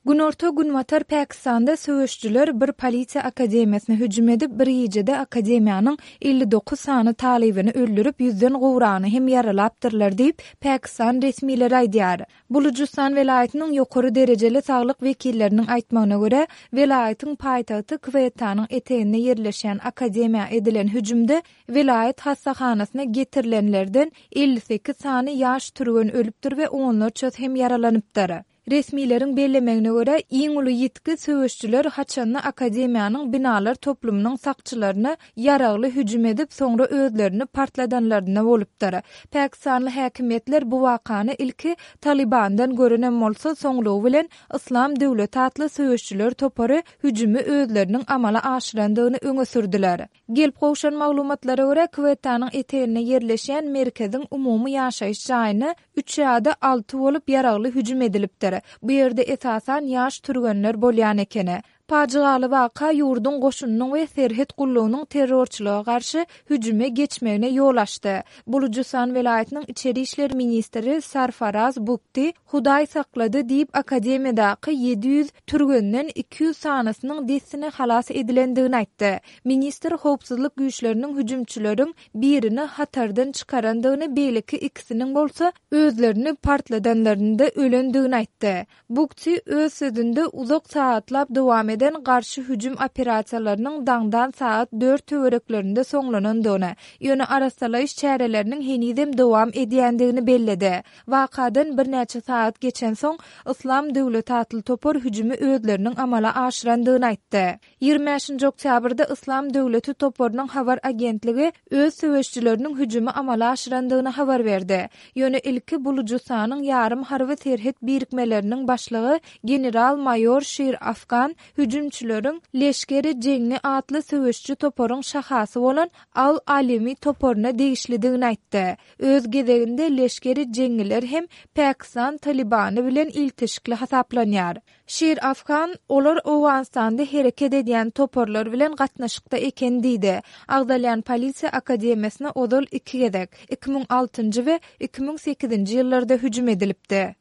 Günorta-günbatar Pakistanda söweşijiler bir polisiýa akademiýasyna hüjüm edip, bir gijede akademiýanyň 59 sany talybyny öldürip, ýüzden gowragyny hem ýaralapdyrlar diýip, pakistan resmileri aýdýar. Bulujystan welaýatynyň ýokary derejeli saglyk wekilleriniň aýtmagyna görä, welaýatyň paýtagty Kwettanyň eteginde ýerleşýän akademiýa edilen hüjümde welaýat hassahanasyna getirilenlerden 58 sany ýaş türgen ölüpdir we onlarçasy hem ýaralanypdyr. Resmileriň bellemegine görä, iň uly ýitgi söweşijiler haçanda akademiýanyň binalar toplumynyň sakçylaryna ýaragly hüjüm edip, soňra özlerini partladanlarynda bolupdyr. Pakistanly häkimiýetler bu wakany ilki Talybandan görenem bolsa, soňlugy bilen Yslam döwleti atly söweşijiler topary hüjümi özleriniň amala aşyrandygyny öňe sürdüler. Gelip gowşan maglumatlara görä, Kwettanyň eteginde ýerleşýän merkeziň umumy ýaşaýyş jaýyna üç ýa-da alty bolup ýaragly hüjüm edilipdir. Bu ýerde esasan ýaş türgenler bolýan ekeni. Pajygaly waka ýurduň goşunynyň we serhet gullugynyň terrorçylyga garşy hüjüme geçmegine ýol açdy. Bulujystan welaýatynyň içeri işler ministri Sarfaraz Bugti Hudaý saklady diýip akademiýadaky 700 türgenden 200 sanysynyň dessine halas edilendigini aýtdy. Ministr howpsuzlyk güýçleriniň hüjümçileriň birini hatardan çykarandygyny beýleki ikisiniň bolsa özlerini partladanlarynda ölendigini aýtdy. Bugti öz sözünde uzak sagatlap dowam eden garşy hüjüm operasiýalarynyň daňdan sagat dört töwereklerinde soňlanandygyny, ýöne arassalaýyş çäreleriniň henizem dowam edýändigini belledi. Wakadan birnäçe sagat geçensoň, Yslam döwleti atly topar hüjümi özleriniň amala aşyrandygyny aýtdy. 25-nji oktýabrda Yslam döwleti toparynyň habar agentligi öz söweşijileriniň hüjümi amala aşyrandygyny habar berdi. Ýöne ilki Bulujystanyň ýarym harby serhet birikmeleriniň başlygy general-maýor Şir Afgan hüjümçileriň Leşgeri-Jengi atly söweşiji toparyň şahasy bolan Al-Alimi toparyna degişlidigini aýtdy. Öz gezeginde Leşgeri-Jengiler hem Pakistan Talybany bilen ilteşikli hasaplanýar. Şir Afgan, Olar Owganystanda hereket edýän toparlar bilen gatnaşykda eken diýdi. Agzalýan polisiýa akademiýasyna ozal iki gezek, 2006-njy we 2008-nji ýyllarda hüjüm edilipdi.